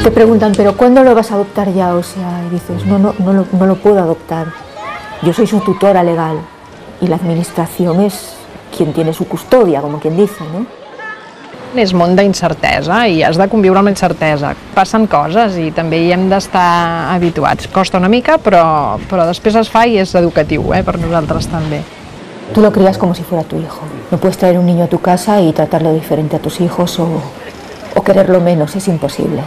Te preguntan, ¿pero cuándo lo vas a adoptar ya? O sea, y dices, no lo puedo adoptar. Yo soy su tutora legal y la administración es quien tiene su custodia, como quien dice, ¿no? És món d'incertesa i has de conviure amb incertesa. Passen coses i també hi hem d'estar habituats. Costa una mica, però després es fa i és educatiu, per nosaltres també. Tú lo crías como si fuera tu hijo. No puedes traer un niño a tu casa y tratarlo diferente a tus hijos o quererlo menos, es imposible.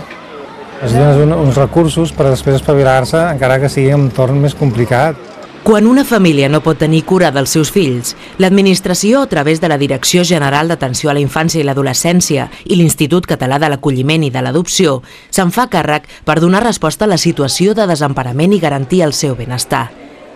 Es donen uns recursos per després espavilar-se, encara que sigui un entorn més complicat. Quan una família no pot tenir cura dels seus fills, l'Administració, a través de la Direcció General d'Atenció a la Infància i l'Adolescència i l'Institut Català de l'Acolliment i de l'Adopció, se'n fa càrrec per donar resposta a la situació de desemparament i garantir el seu benestar.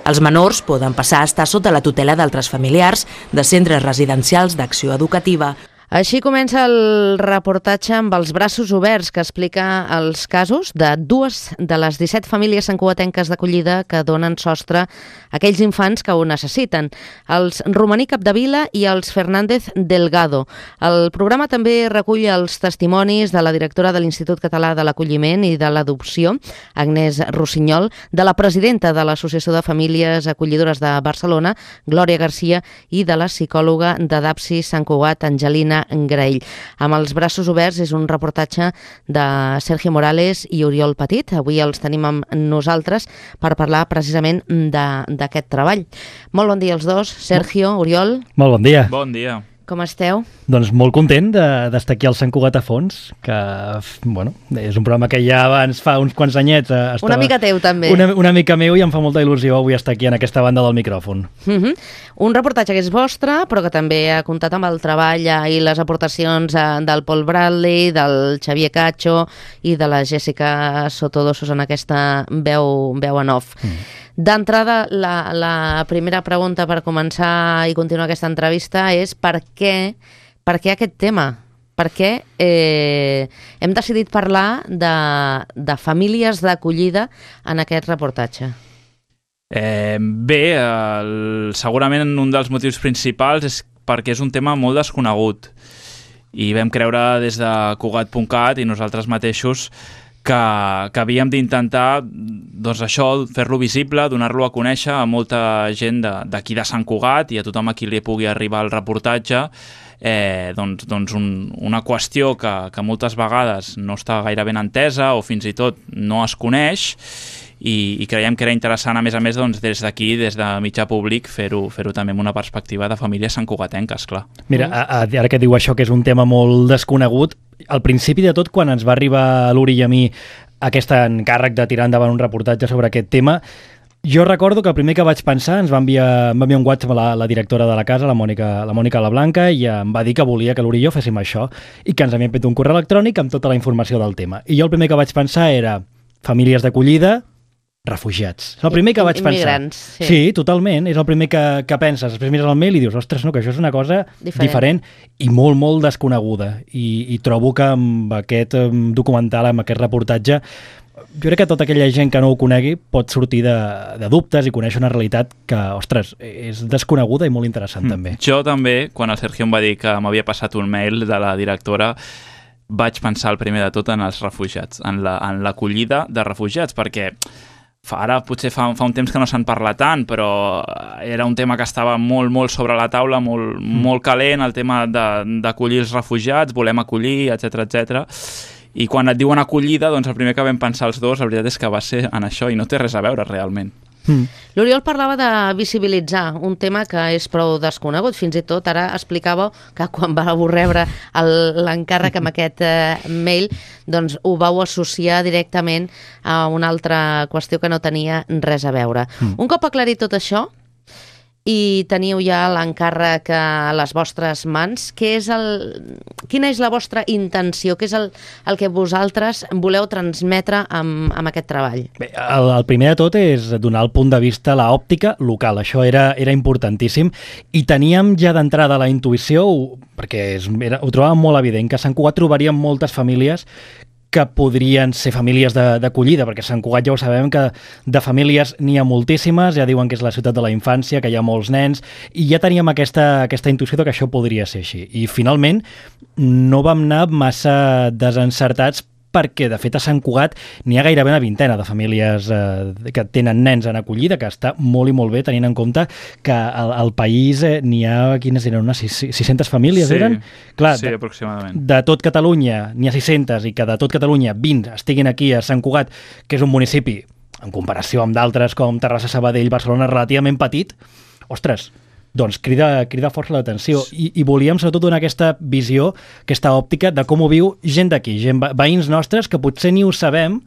Els menors poden passar a estar sota la tutela d'altres familiars, de centres residencials d'acció educativa. Així comença el reportatge amb els braços oberts que explica els casos de 2 de les 17 famílies santcugatenques d'acollida que donen sostre a aquells infants que ho necessiten, els Romaní Capdevila i els Fernández Delgado. El programa també recull els testimonis de la directora de l'Institut Català de l'Acolliment i de l'Adopció, Agnès Rossinyol, de la presidenta de l'Associació de Famílies Acollidores de Barcelona, Glòria Garcia, i de la psicòloga de DAPSI Sant Cugat, Angelina Graell. Amb els braços oberts és un reportatge de Sergio Morales i Oriol Petit. Avui els tenim amb nosaltres per parlar precisament d'aquest treball. Molt bon dia als dos. Sergio, Oriol. Molt bon dia. Bon dia. Com esteu? Doncs molt content d'estar aquí al Sant Cugat a Fons, que bueno, és un programa que ja abans fa uns quants anyets estava... Una mica teu també. Una mica meu, i em fa molta il·lusió avui estar aquí en aquesta banda del micròfon. Un reportatge que és vostre, però que també ha comptat amb el treball i les aportacions del Paul Bradley, del Xavier Cacho i de la Jessica Sotodosos en aquesta veu en off. D'entrada, la primera pregunta per començar i continuar aquesta entrevista és per què aquest tema? Per què hem decidit parlar de famílies d'acollida en aquest reportatge? Segurament un dels motius principals és perquè és un tema molt desconegut i vam creure des de Cugat.cat i nosaltres mateixos que havíem d'intentar fer-lo visible, donar-lo a conèixer a molta gent d'aquí de Sant Cugat i a tothom a qui li pugui arribar el reportatge, una qüestió que moltes vegades no està gaire ben entesa o fins i tot no es coneix, i creiem que era interessant, a més des d'aquí, des de mitjà públic, fer-ho també amb una perspectiva de famílies santcugatenques, clar. Mira, ara que diu això, que és un tema molt desconegut, al principi de tot, quan ens va arribar a l'Uri i a mi aquest encàrrec de tirar endavant un reportatge sobre aquest tema, jo recordo que el primer que vaig pensar, ens va enviar un WhatsApp a la directora de la casa, la Mònica Lablanca, i em va dir que volia que l'Uri i jo féssim això, i que ens havien fet un correu electrònic amb tota la informació del tema. I jo el primer que vaig pensar era famílies d'acollida, refugiats. És el primer que vaig pensar. Immigrants, sí. Sí, totalment. És el primer que penses. Després mires el mail i dius, ostres, no, que això és una cosa diferent i molt, molt desconeguda. I trobo que amb aquest documental, amb aquest reportatge, jo crec que tota aquella gent que no ho conegui pot sortir de dubtes i conèixer una realitat que, ostres, és desconeguda i molt interessant també. Jo també, quan el Sergio em va dir que m'havia passat un mail de la directora, vaig pensar el primer de tot en els refugiats, en l'acollida de refugiats, perquè ara potser fa un temps que no se'n parla tant, però era un tema que estava molt, molt sobre la taula, molt calent, el tema d'acollir els refugiats, volem acollir, etc. I quan et diuen acollida, doncs el primer que vam pensar els dos, la veritat és que va ser en això, i no té res a veure realment. L'Oriol parlava de visibilitzar un tema que és prou desconegut. Fins i tot ara explicava que quan vau rebre l'encàrrec amb aquest mail, doncs ho vau associar directament a una altra qüestió que no tenia res a veure. Un cop aclarit tot això i teniu ja l'encàrrec a les vostres mans, quina és la vostra intenció? Què és el que vosaltres voleu transmetre amb aquest treball? Bé, el primer de tot és donar el punt de vista, l'òptica local. Això era importantíssim i teníem ja d'entrada la intuïció, perquè ho trobàvem molt evident, que a Sant Cugat trobaríem moltes famílies que podrien ser famílies d'acollida, perquè a Sant Cugat ja ho sabem que de famílies n'hi ha moltíssimes, ja diuen que és la ciutat de la infància, que hi ha molts nens, i ja teníem aquesta intuïció que això podria ser així. I finalment no vam anar massa desencertats perquè de fet a Sant Cugat n'hi ha gairebé una vintena de famílies que tenen nens en acollida, que està molt i molt bé tenint en compte que al país n'hi ha, quines eren, unes 600 famílies eren? Clar, sí, aproximadament. De tot Catalunya n'hi ha 600 i que de tot Catalunya 20 estiguin aquí a Sant Cugat, que és un municipi en comparació amb d'altres com Terrassa, Sabadell, Barcelona, relativament petit, ostres, doncs crida força l'atenció i volíem sobretot donar aquesta visió, aquesta òptica de com ho viu gent d'aquí, veïns nostres que potser ni ho sabem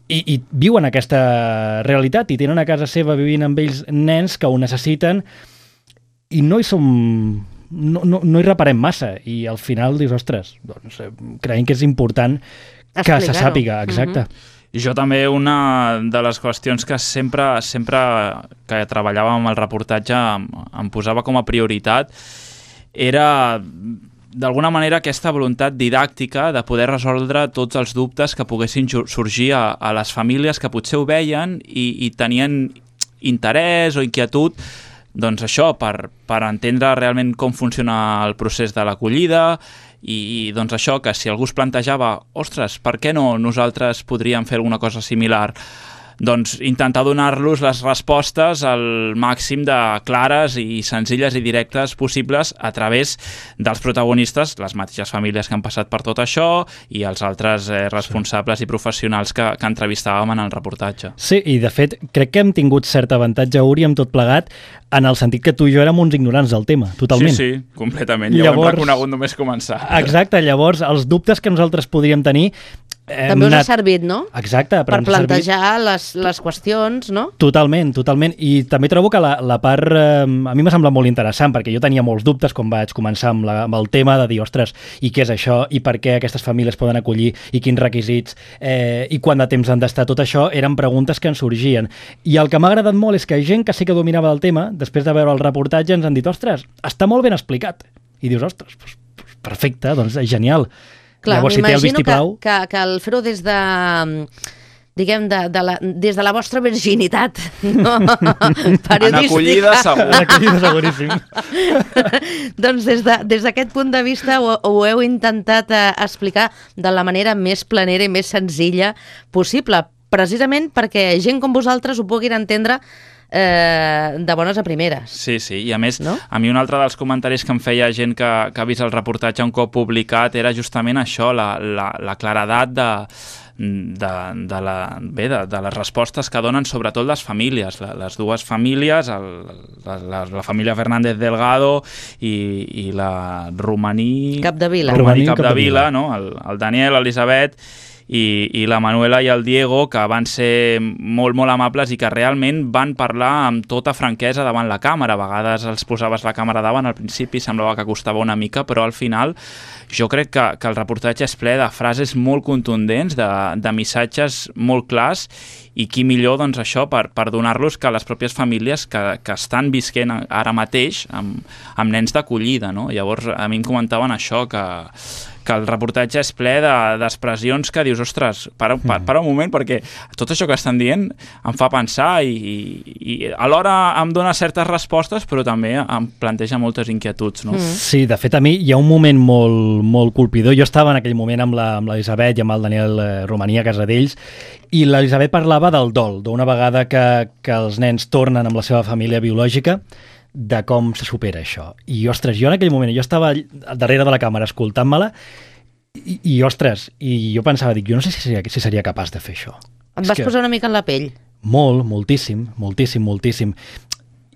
i viuen aquesta realitat i tenen a casa seva vivint amb ells nens que ho necessiten i no hi reparem massa i al final dius, ostres, doncs creiem que és important que se sàpiga, exacte. Jo també una de les qüestions que sempre que treballava amb el reportatge em posava com a prioritat era d'alguna manera aquesta voluntat didàctica de poder resoldre tots els dubtes que poguessin sorgir a les famílies que potser ho veien i tenien interès o inquietud doncs això, per entendre realment com funciona el procés de l'acollida i doncs això, que si algú es plantejava ostres, per què no nosaltres podríem fer alguna cosa similar? Doncs intentar donar-los les respostes al màxim de clares i senzilles i directes possibles a través dels protagonistes, les mateixes famílies que han passat per tot això i els altres responsables i professionals que entrevistàvem en el reportatge. Sí, i de fet crec que hem tingut cert avantatge, Uri, amb tot plegat, en el sentit que tu i jo érem uns ignorants del tema, totalment. Sí, completament. Ja ho hem reconegut només començar. Exacte, llavors els dubtes que nosaltres podríem tenir també us ha servit, no? Exacte. Per plantejar les qüestions, no? Totalment. I també trobo que la part a mi m'ha semblat molt interessant, perquè jo tenia molts dubtes quan vaig començar amb el tema de dir, ostres, i què és això? I per què aquestes famílies poden acollir? I quins requisits? I quant de temps han d'estar? Tot això eren preguntes que ens sorgien. I el que m'ha agradat molt és que gent que sí que dominava del tema, després de veure el reportatge, ens han dit, ostres, està molt ben explicat. I dius, ostres, perfecte, doncs genial. Clar, m'imagino que el fer-ho des de, diguem, des de la vostra virginitat, no? Periodística. En acollida segur. En acollida seguríssim. Doncs des d'aquest punt de vista ho heu intentat explicar de la manera més planera i més senzilla possible, precisament perquè gent com vosaltres ho puguin entendre de bones a primeres. Sí, i a més, no? A mi un altre dels comentaris que em feia gent que ha vist el reportatge un cop publicat era justament això, la claredat de les respostes que donen sobretot les famílies, les dues famílies, la família Fernández Delgado i la Romaní Capdevila, no? El Daniel, l'Elisabet i la Manuela i el Diego, que van ser molt, molt amables i que realment van parlar amb tota franquesa davant la càmera. A vegades els posaves la càmera davant, al principi semblava que costava una mica, però al final jo crec que el reportatge és ple de frases molt contundents, de missatges molt clars, i qui millor, doncs això, per donar-los que les pròpies famílies que estan visquent ara mateix amb nens d'acollida, no? Llavors a mi em comentaven això, que el reportatge és ple d'expressions que dius, ostres, para un moment, perquè tot això que estan dient em fa pensar i alhora em dona certes respostes, però també em planteja moltes inquietuds, no? Sí, de fet a mi hi ha un moment molt colpidor. Jo estava en aquell moment amb l'Elisabet i amb el Daniel Romaní a casa d'ells, i l'Elisabet parlava del dol, d'una vegada que els nens tornen amb la seva família biològica, de com se supera això. I, ostres, jo en aquell moment, jo estava darrere de la càmera escoltant-me-la i ostres, i jo pensava, jo no sé si seria capaç de fer això. Et vas posar una mica en la pell? Moltíssim.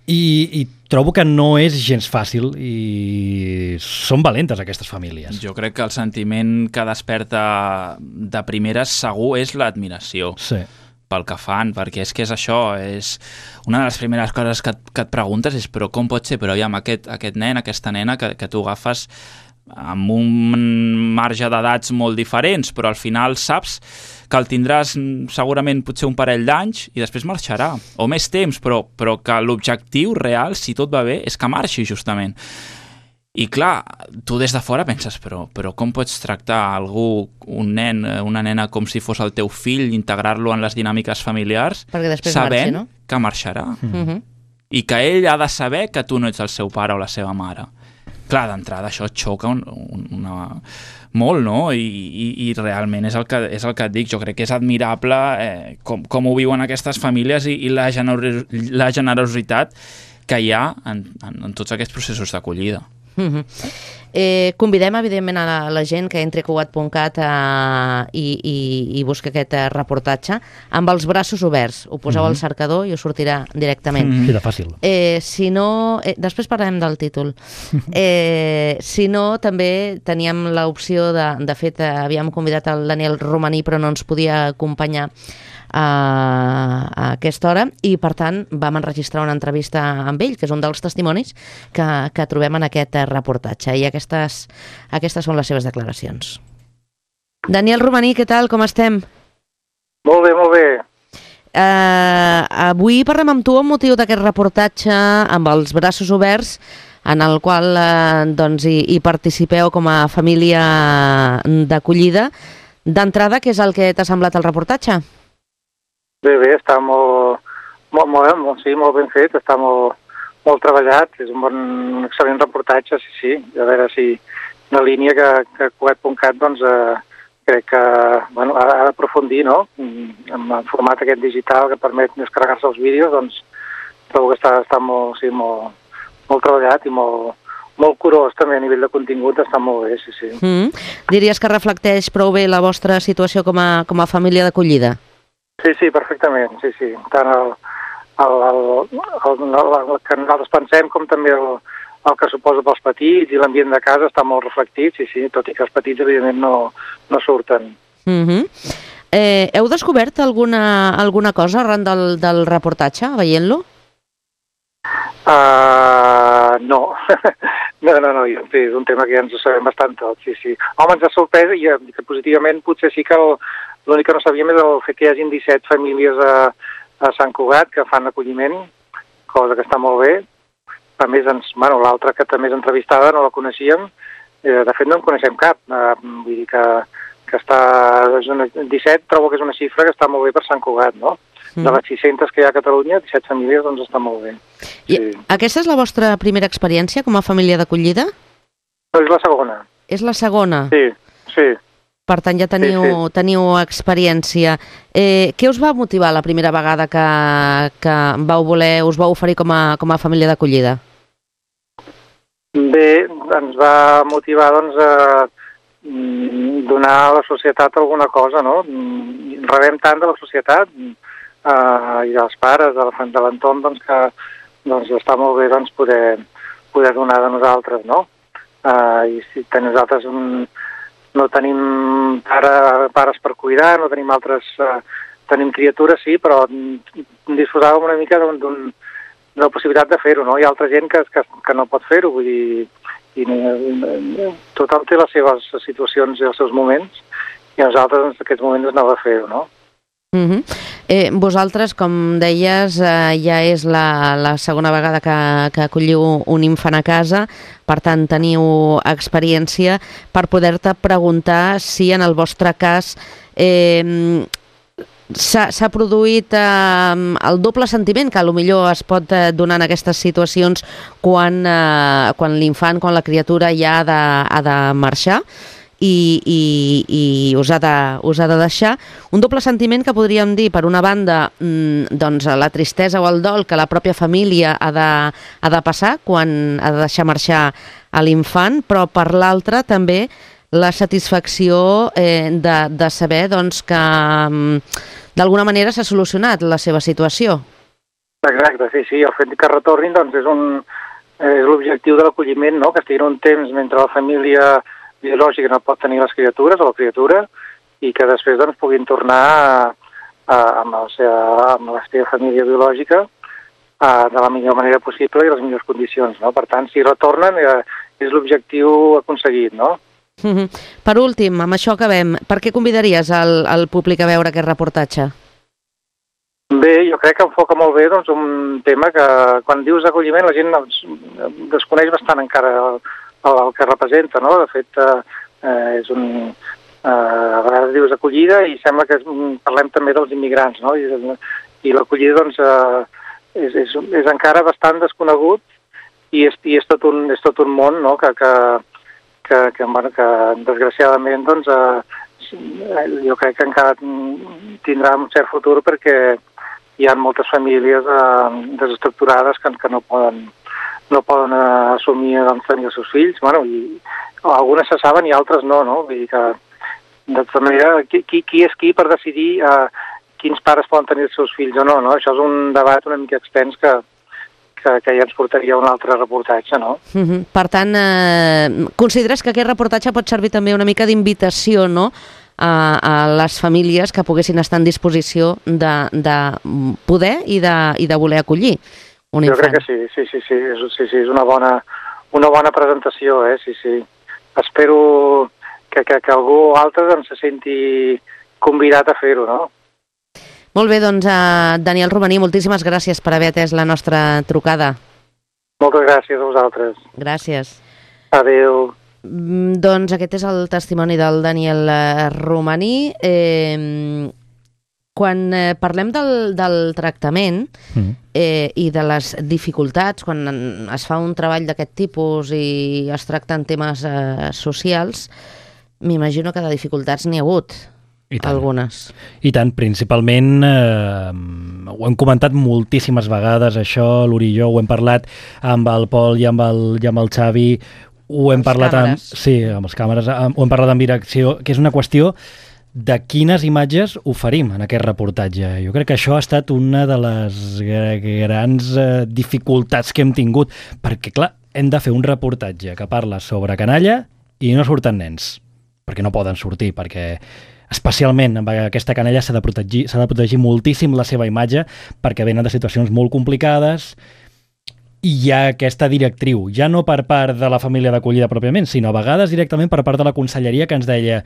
I trobo que no és gens fàcil i són valentes aquestes famílies. Jo crec que el sentiment que desperta de primeres segur és l'admiració. Sí. Pel que fan, perquè és que és això, és una de les primeres coses que et preguntes és però com pot ser, però aviam, aquest nen, aquesta nena que tu agafes amb un marge d'edats molt diferents, però al final saps que el tindràs segurament potser un parell d'anys i després marxarà, o més temps, però que l'objectiu real, si tot va bé, és que marxi justament. I clar, tu des de fora penses, però com pots tractar algú, un nen, una nena, com si fos el teu fill, integrar-lo en les dinàmiques familiars, sabent marxi, no? Que marxarà. I que ell ha de saber que tu no ets el seu pare o la seva mare. clar, d'entrada això et xoca molt, no? I realment és el que et dic. Jo crec que és admirable com ho viuen aquestes famílies i la generositat que hi ha en tots aquests processos d'acollida. Convidem evidentment a la gent que entri a Cugat.cat i busqui aquest reportatge amb els braços oberts. Ho poseu al cercador i us sortirà directament. Sí, de fàcil. Si no, després parlarem del títol. Si no, també teníem l'opció de fet, havíem convidat el Daniel Romaní però no ens podia acompanyar a aquesta hora i per tant vam enregistrar una entrevista amb ell, que és un dels testimonis que trobem en aquest reportatge, i aquestes són les seves declaracions. Daniel Romaní, què tal? Com estem? Molt bé, molt bé. Avui parlem amb tu amb motiu d'aquest reportatge amb els braços oberts en el qual hi participeu com a família d'acollida. D'entrada, què és el que t'ha semblat el reportatge? Bé, està molt ben fet, està molt treballat, és un excel·lent reportatge, sí. A veure si la línia que Cugat.cat crec que ha d'aprofundir, no? En format aquest digital que permet descarregar-se els vídeos, doncs trobo que està molt treballat i molt curós també a nivell de contingut, està molt bé, sí. Diries que reflecteix prou bé la vostra situació com a família d'acollida? Sí, perfectament, sí. Tant el que nosaltres pensem com també el que suposa pels petits i l'ambient de casa està molt reflectit, sí, tot i que els petits evidentment no surten. Heu descobert alguna cosa arran del reportatge, veient-lo? No, és un tema que ja ens ho sabem bastant tot, sí. Home, ens ha sorprès i que positivament potser sí que l'únic que no sabíem és el fet que hi hagin 17 famílies a Sant Cugat que fan acolliment, cosa que està molt bé. A més, l'altra que també és entrevistada no la coneixíem, de fet no en coneixem cap, vull dir que està... 17 trobo que és una xifra que està molt bé per Sant Cugat, no? De les 600 que hi ha a Catalunya, 17 famílies, doncs està molt bé. Sí. I aquesta és la vostra primera experiència com a família d'acollida? No, és la segona. És la segona? Sí. Per tant, ja teniu experiència. Què us va motivar la primera vegada que us vau oferir com a família d'acollida? Bé, ens va motivar a donar a la societat alguna cosa, no? Rebem tant de la societat i dels pares, de l'entorn, que està molt bé poder donar de nosaltres, no? I si nosaltres no tenim pares per cuidar, no tenim tenim criatures, sí, però disposàvem una mica d'una possibilitat de fer-ho, no? Hi ha altra gent que no pot fer-ho, vull dir, tothom té les seves situacions i els seus moments, i a nosaltres en aquests moments ens anava a fer-ho, no? Vosaltres, com deies, ja és la segona vegada que acolliu un infant a casa, per tant teniu experiència per poder-te preguntar si en el vostre cas s'ha produït el doble sentiment que potser es pot donar en aquestes situacions quan l'infant, quan la criatura ja ha de marxar i us ha de deixar. Un doble sentiment que podríem dir, per una banda, la tristesa o el dol que la pròpia família ha de passar quan ha de deixar marxar a l'infant, però per l'altra també la satisfacció de saber que d'alguna manera s'ha solucionat la seva situació. Exacte, sí. El fet que retornin és l'objectiu de l'acolliment, no? Que estiguin un temps mentre la família biològica no pot tenir les criatures o la criatura i que després puguin tornar amb la seva família biològica de la millor manera possible i les millors condicions, no? Per tant, si retornen és l'objectiu aconseguit, no? Per últim, amb això acabem. Per què convidaries al públic a veure aquest reportatge? Bé, jo crec que enfoca molt bé un tema que quan dius acolliment la gent desconeix bastant encara el que representa, no? De fet, a vegades dius acollida i sembla que parlem també dels immigrants, no? I l'acollida és encara bastant desconegut i és tot un món, no?, que desgraciadament doncs, jo crec que encara tindrà un cert futur, perquè hi ha moltes famílies desestructurades que no poden assumir doncs, tenir els seus fills. Bueno, i algunes se saben i altres no? Vull dir que, de tota manera, qui és qui per decidir quins pares poden tenir els seus fills o no? Això és un debat una mica extens que ja ens portaria a un altre reportatge, no? Per tant, consideres que aquest reportatge pot servir també una mica d'invitació, no?, a les famílies que poguessin estar en disposició de poder i de voler acollir un infant? Jo crec que sí, és una bona presentació, sí. Espero que algú altre doncs, se senti convidat a fer-ho, no? Molt bé, doncs, Daniel Romaní, moltíssimes gràcies per haver atès la nostra trucada. Moltes gràcies a vosaltres. Gràcies. Adéu. Doncs aquest és el testimoni del Daniel Romaní. Quan parlem del tractament i de les dificultats, quan es fa un treball d'aquest tipus i es tracten temes socials, m'imagino que de dificultats n'hi ha hagut. Algunes. I tant, principalment ho hem comentat moltíssimes vegades, això, l'Uri i jo ho hem parlat amb el Pol i amb el Xavi, ho hem parlat amb les càmeres, ho hem parlat amb direcció, que és una qüestió de quines imatges oferim en aquest reportatge. Jo crec que això ha estat una de les grans dificultats que hem tingut, perquè clar, hem de fer un reportatge que parla sobre canalla i no surten nens, perquè no poden sortir, perquè especialment amb aquesta canalla s'ha de protegir moltíssim la seva imatge, perquè venen de situacions molt complicades i hi ha aquesta directriu, ja no per part de la família d'acollida pròpiament, sinó a vegades directament per part de la conselleria, que ens deia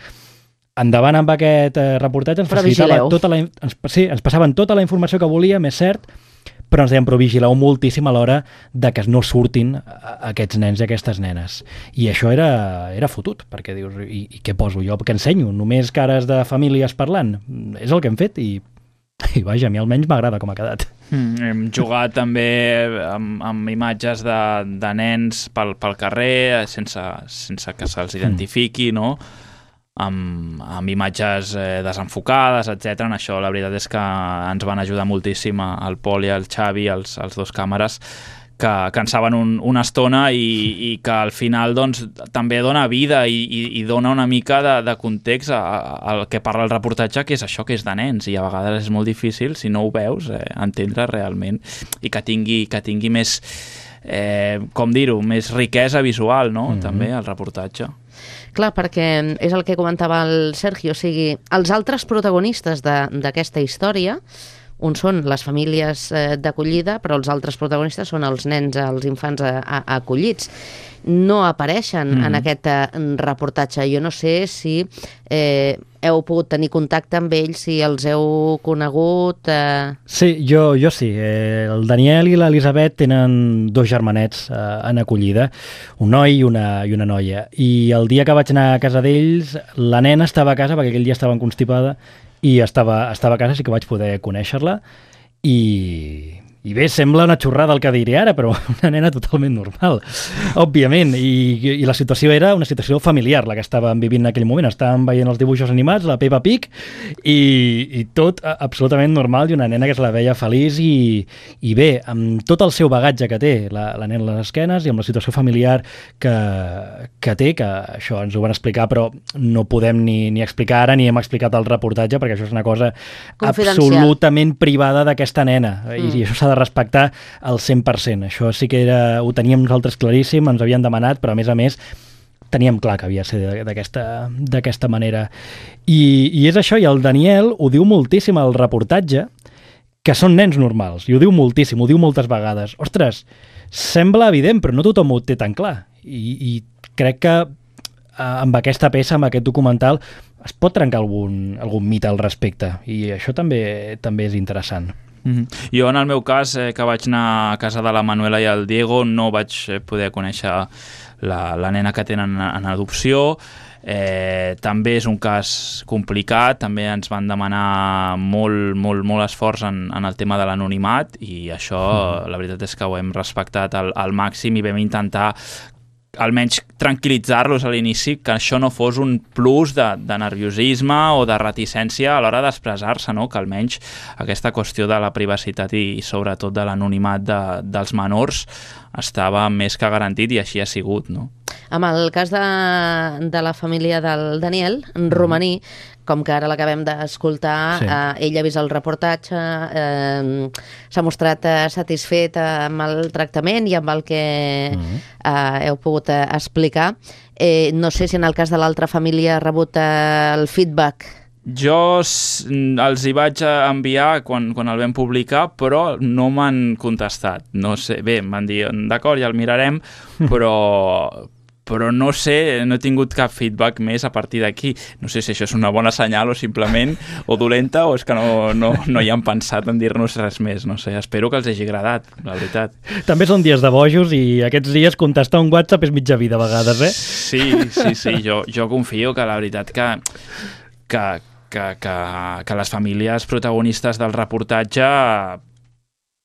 endavant amb aquest reportatge, ens passaven tota la informació que volíem, és cert, però ens deien, però vigileu moltíssim a l'hora de que no surtin aquests nens i aquestes nenes. I això era fotut, perquè dius, i què poso jo? Què ensenyo? Només cares de famílies parlant? És el que hem fet i vaja, a mi almenys m'agrada com ha quedat. Hem jugat també amb imatges de nens pel carrer, sense que se'ls identifiqui, no?, amb imatges desenfocades, etc. En això la veritat és que ens van ajudar moltíssim el Pol i el Xavi, els dos càmeres, que en saben una estona i que al final doncs, també dona vida i dona una mica de context al que parla el reportatge, que és això, que és de nens, i a vegades és molt difícil, si no ho veus, entendre realment, i que tingui més, com dir-ho, més riquesa visual, no?, també, el reportatge. Clar, perquè és el que comentava el Sergio, o sigui, els altres protagonistes d'aquesta història, uns són les famílies d'acollida, però els altres protagonistes són els nens, els infants acollits. No apareixen en aquest reportatge. Jo no sé si heu pogut tenir contacte amb ells, si els heu conegut... Sí, jo sí. El Daniel i l'Elisabet tenen 2 germanets en acollida, un noi i una noia. I el dia que vaig anar a casa d'ells, la nena estava a casa, perquè aquell dia estava constipada, i estava a casa, sí que vaig poder conèixer-la, i bé, sembla una xorrada el que diré ara, però una nena totalment normal, òbviament, i la situació era una situació familiar, la que estàvem vivint en aquell moment. Estàvem veient els dibuixos animats, la Peppa Pig, i tot absolutament normal, i una nena que se la veia feliç, i bé, amb tot el seu bagatge que té la nena a les esquenes, i amb la situació familiar que té, que això ens ho van explicar, però no podem ni explicar ara, ni hem explicat el reportatge, perquè això és una cosa absolutament privada d'aquesta nena, i això s'ha de respectar al 100%. Això sí que ho teníem nosaltres claríssim, ens havien demanat, però a més teníem clar que havia de ser d'aquesta manera. I és això, i el Daniel ho diu moltíssim al reportatge, que són nens normals, i ho diu moltíssim, ho diu moltes vegades. Ostres, sembla evident, però no tothom ho té tan clar. I crec que amb aquesta peça, amb aquest documental, es pot trencar algun mite al respecte, i això també és interessant. Jo, en el meu cas, que vaig anar a casa de la Manuela i el Diego, no vaig poder conèixer la nena que tenen en adopció. També és un cas complicat, també ens van demanar molt esforç en el tema de l'anonimat i això, la veritat és que ho hem respectat al màxim i vam intentar almenys tranquil·litzar-los a l'inici, que això no fos un plus de nerviosisme o de reticència a l'hora d'expressar-se, no? Que almenys aquesta qüestió de la privacitat i sobretot de l'anonimat dels menors estava més que garantit i així ha sigut, no? Amb el cas de la família del Daniel, en romaní, com que ara l'acabem d'escoltar, ell ha vist el reportatge, s'ha mostrat satisfet amb el tractament i amb el que heu pogut explicar. No sé si en el cas de l'altra família ha rebut el feedback. Jo els hi vaig enviar quan el vam publicar, però no m'han contestat. No sé, bé, em van dir, d'acord, ja el mirarem, però no sé, no he tingut cap feedback més a partir d'aquí. No sé si això és una bona senyal o simplement o dolenta o és que no hi han pensat en dir-nos res més. No sé, espero que els hagi agradat, la veritat. També són dies de bojos i aquests dies contestar un WhatsApp és mitja vida a vegades, eh? Sí, jo confio que la veritat que les famílies protagonistes del reportatge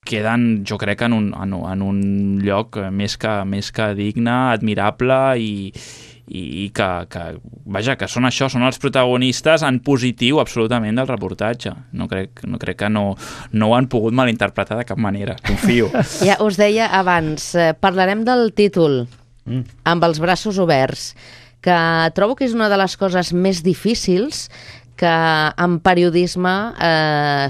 queden, jo crec, en un lloc més que digne, admirable i que són això, són els protagonistes en positiu absolutament del reportatge. No crec que no ho han pogut malinterpretar de cap manera, confio. Ja us deia abans, parlarem del títol, Amb els braços oberts, que trobo que és una de les coses més difícils que en periodisme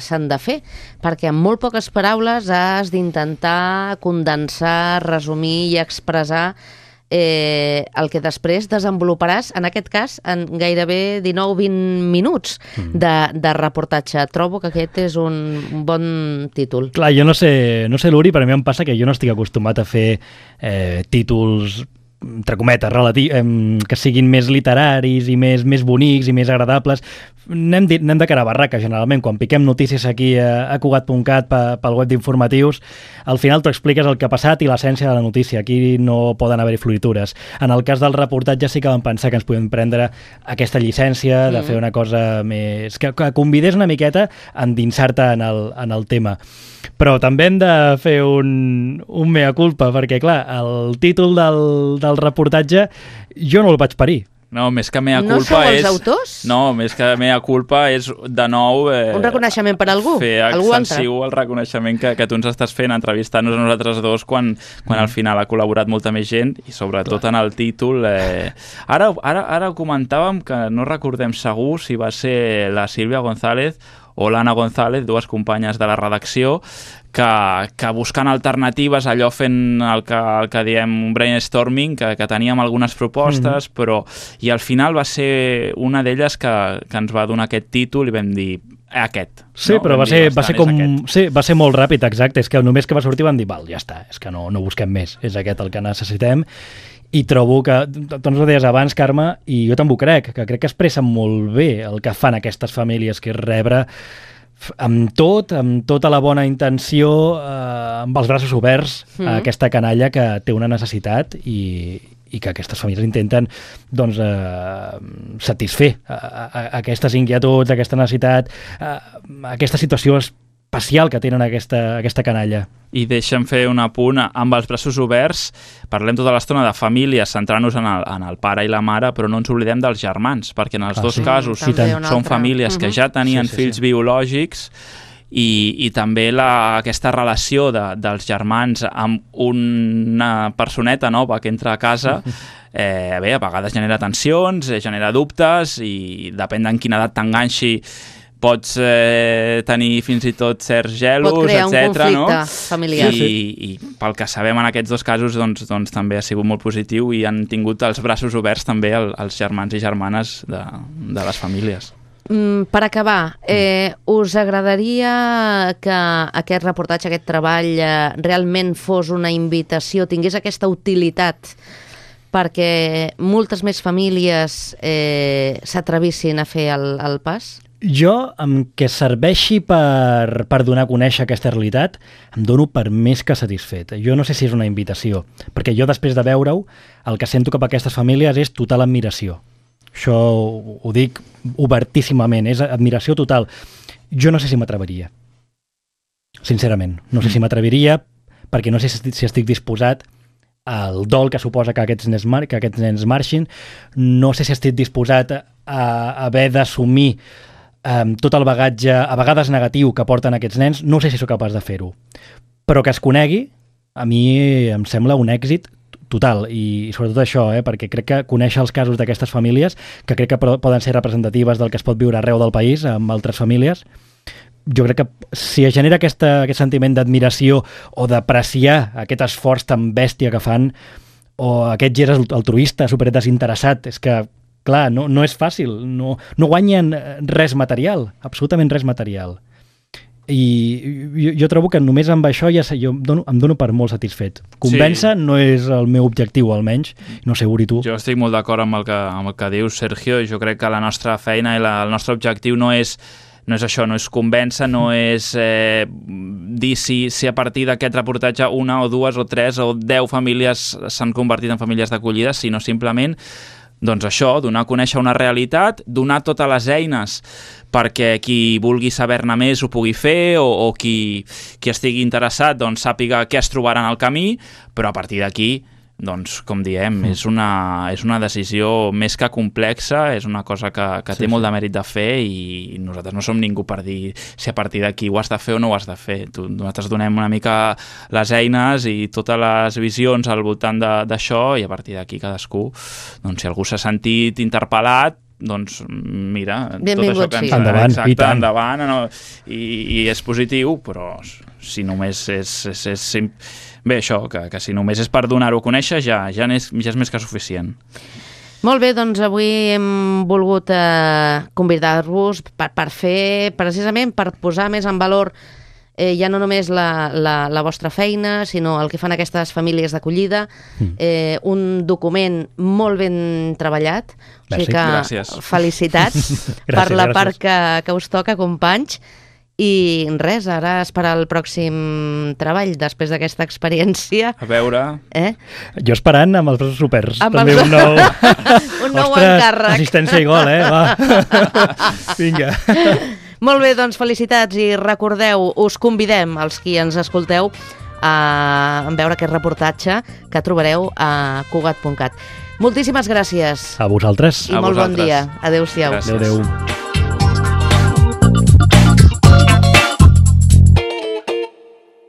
s'han de fer, perquè amb molt poques paraules has d'intentar condensar, resumir i expressar el que després desenvoluparàs, en aquest cas, en gairebé 19-20 minuts de reportatge. Trobo que aquest és un bon títol. Clar, jo no sé, Luri, però a mi em passa que jo no estic acostumat a fer títols entre cometes, que siguin més literaris i més bonics i més agradables. Anem de cara a barraca, generalment. Quan piquem notícies aquí a Cugat.cat pel web d'informatius, al final tu expliques el que ha passat i l'essència de la notícia. Aquí no poden haver-hi floritures. En el cas del reportatge sí que vam pensar que ens podem prendre aquesta llicència de fer una cosa més... que convidés una miqueta a endinsar-te en el tema. Però també hem de fer un mea culpa, perquè, clar, el títol del reportatge jo no el vaig parir. No, més que mea culpa és... No sou els autors? No, més que mea culpa és, de nou... un reconeixement per algú? Fer extensiu el reconeixement que tu ens estàs fent, entrevistant-nos a nosaltres dos quan al final ha col·laborat molta més gent i sobretot en el títol. Ara ho comentàvem, que no recordem segur si va ser la Sílvia González o l'Anna González, dues companyes de la redacció, que buscant alternatives, allò fent el que diem un brainstorming, que teníem algunes propostes, però i al final va ser una d'elles que ens va donar aquest títol i vam dir aquest. Sí, no? Però va ser molt ràpid, exacte. És que només que va sortir van dir, val, ja està, és que no busquem més, és aquest el que necessitem. I trobo que, tu ens ho deies abans, Carme, i jo també ho crec que expressen molt bé el que fan aquestes famílies, que és rebre amb tota la bona intenció, amb els braços oberts, a aquesta canalla que té una necessitat i que aquestes famílies intenten satisfer aquestes inquietuds, aquesta necessitat, aquesta situació especial que tenen aquesta canalla. I deixa'm fer un apunt, amb els braços oberts, parlem tota l'estona de famílies, centrant-nos en el pare i la mare, però no ens oblidem dels germans, perquè en els dos casos són famílies que ja tenien fills biològics i també aquesta relació dels germans amb una personeta nova que entra a casa, a vegades genera tensions, genera dubtes i depèn en quina edat t'enganxi pots tenir fins i tot certs gelos, etc. Pot crear un conflicte familiar. I pel que sabem en aquests dos casos doncs també ha sigut molt positiu i han tingut els braços oberts també els germans i germanes de les famílies. Per acabar, us agradaria que aquest reportatge, aquest treball realment fos una invitació, tingués aquesta utilitat perquè moltes més famílies s'atrevissin a fer el pas? Jo, amb que serveixi per donar a conèixer aquesta realitat, em dono per més que satisfet. Jo no sé si és una invitació, perquè jo després de veure-ho, el que sento cap a aquestes famílies és total admiració. Això ho dic obertíssimament, és admiració total. Jo no sé si m'atreviria, sincerament. No sé si m'atreviria perquè no sé si estic disposat al dol que suposa que aquests nens marxin, no sé si estic disposat a haver d'assumir tot el bagatge, a vegades negatiu, que porten aquests nens, no sé si sóc capaç de fer-ho. Però que es conegui, a mi em sembla un èxit total, i sobretot això, perquè crec que conèixer els casos d'aquestes famílies, que crec que poden ser representatives del que es pot viure arreu del país amb altres famílies, jo crec que si es genera aquest sentiment d'admiració o d'apreciar aquest esforç tan bèstia que fan, o aquest gest altruista, superdesinteressat, és que, clar, no és fàcil, no guanyen res material, absolutament res material. I jo trobo que només amb això jo em dono per molt satisfet. Convèncer no és el meu objectiu, almenys. No sé, Uri, tu. Jo estic molt d'acord amb el que dius, Sergio. Jo crec que la nostra feina i el nostre objectiu no és això, no és convèncer, no és dir si a partir d'aquest reportatge una o dues o tres o 10 famílies s'han convertit en famílies d'acollida, sinó simplement doncs això, donar a conèixer una realitat, donar totes les eines perquè qui vulgui saber-ne més ho pugui fer o qui estigui interessat doncs sàpiga què es trobarà en el camí, però a partir d'aquí, doncs, com diem, és una decisió més que complexa, és una cosa que té molt de mèrit de fer i nosaltres no som ningú per dir si a partir d'aquí ho has de fer o no ho has de fer. Nosaltres donem una mica les eines i totes les visions al voltant d'això i a partir d'aquí cadascú, doncs si algú s'ha sentit interpel·lat, doncs mira, benvingut, tot això que ens endavant, exacte, endavant i és positiu, però si només és bé, això, que si només és per donar-ho a conèixer ja és més que suficient. Molt bé, doncs avui hem volgut convidar-vos per fer, precisament per posar més en valor ja no només la vostra feina, sinó el que fan aquestes famílies d'acollida, un document molt ben treballat, o sigui que gràcies. Felicitats per la part que us toca, companys, i res, ara esperar el pròxim treball després d'aquesta experiència. A veure... Jo esperant amb els braços oberts. També un nou... un nou encàrrec. Assistència i gol, va. Vinga. Molt bé, doncs felicitats i recordeu, us convidem, els qui ens escolteu, a veure aquest reportatge que trobareu a Cugat.cat. Moltíssimes gràcies. A vosaltres. I molt bon dia. Adéu-siau. Adéu.